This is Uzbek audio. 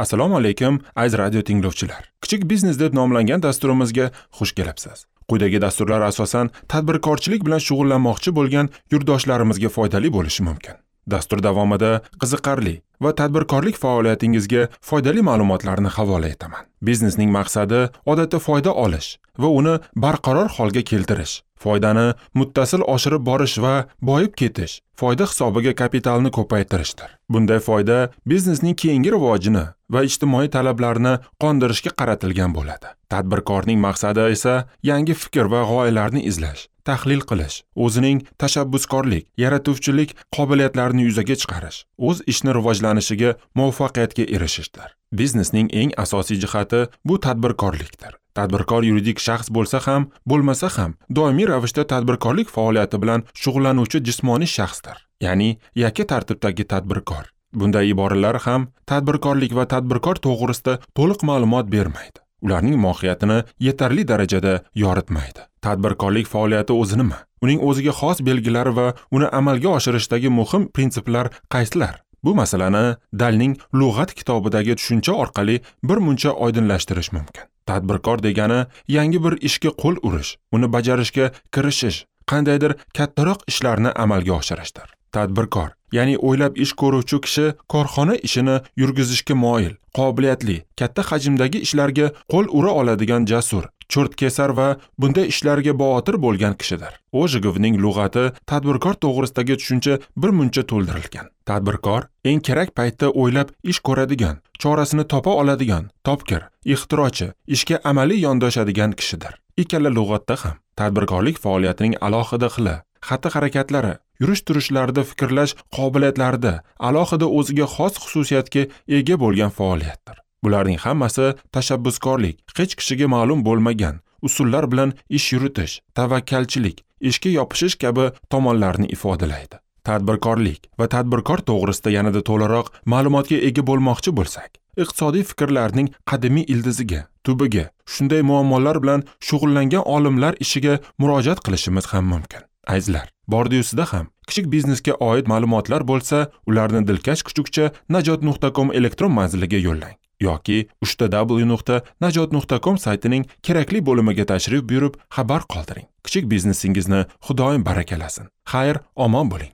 Assalomu alaykum, aziz radio tinglovchilar. Kichik biznes deb nomlangan dasturimizga xush kelibsiz. Quyidagi dasturlar asosan tadbirkorchilik bilan shug'ullanmoqchi bo'lgan yurtdoshlarimizga foydali bo'lishi mumkin. Dastur davomida qiziqarli va tadbirkorlik faoliyatingizga foydali ma'lumotlarni havola etaman. Biznesning maqsadi odatda foyda olish va uni barqaror holga keltirish, foydani muttasil oshirib borish va boyib ketish, foyda hisobiga kapitalni ko'paytirishdir. Bunday foyda biznesning keyingi rivojini va ijtimoiy talablarni qondirishga qaratilgan bo'ladi. Tadbirkorning maqsadi esa yangi fikr va g'oyalarni izlash, tahlil qilish, o'zining tashabbuskorlik, yaratuvchilik qobiliyatlarini yuzaga chiqarish, o'z ishini rivojlanishiga muvaffaqiyatga erishishdir. Biznesning eng asosiy jihati bu tadbirkorlikdir. Tadbirkor yuridik shaxs bo'lsa ham, bo'lmasa ham doimiy ravishda tadbirkorlik faoliyati bilan shug'ullanuvchi jismoniy shaxsdir, ya'ni yakka tartibdagi tadbirkor. Bunday iboralar ham tadbirkorlik va tadbirkor to'g'risida to'liq ma'lumot bermaydi. Ularning mohiyatini yetarli darajada yoritmaydi. Tadbirkorlik faoliyati o'zi nima? Uning o'ziga xos belgilari va uni amalga oshirishdagi muhim prinsiplar qaysilar? Bu masalani Dalning lug'at kitobidagi tushuncha orqali bir muncha oydinlashtirish mumkin. Tadbirkor degani yangi bir ishga qo'l urish, uni bajarishga kirishish, qandaydir kattaroq ishlarni amalga oshirishdir. Tadbirkor, ya'ni o'ylab ish ko'ruvchi kishi korxona ishini yurgizishga moyil, qobiliyatli, katta hajmdagi ishlarga qo'l ura oladigan jasur, cho'rtkesar va bunday ishlarga botir bo'lgan kishidir. Ojigovning lug'ati tadbirkor to'g'risidagi tushuncha bir muncha to'ldirilgan. Tadbirkor eng kerak paytda o'ylab ish ko'radigan, chorasini topa oladigan, topkir, ixtirochi, ishga amaliy yondoshadigan kishidir. Ikkala lug'atda ham tadbirkorlik faoliyatining alohida xili, xatti-harakatlari, yurish-turishlarida fikrlash qobiliyatlarida alohida o'ziga xos xususiyatga ega bo'lgan faoliyatdir. Bularning hammasi tashabbuskorlik, hech kishiga ma'lum bo'lmagan usullar bilan ish yuritish, tavakkalchilik, ishga yopishish kabi tomonlarni ifodalaydi. Tadbirkorlik va tadbirkor to'g'risida yanada to'laroq ma'lumotga ega bo'lmoqchi bo'lsak, iqtisodiy fikrlarning qadimiy ildiziga, tubiga, shunday muammolar bilan shug'ullangan olimlar ishiga murojaat qilishimiz ham mumkin. Azizlar, bordi-yusida ham kichik biznesga oid ma'lumotlar bo'lsa, ularni dilkash kuchukcha najot.com elektron manziliga yo'llang yoki www.najot.com saytining kerakli bo'limiga tashrif buyurib xabar qoldiring. Kichik biznesingizni Xudoyim barakalasin. Xayr, omon bo'ling.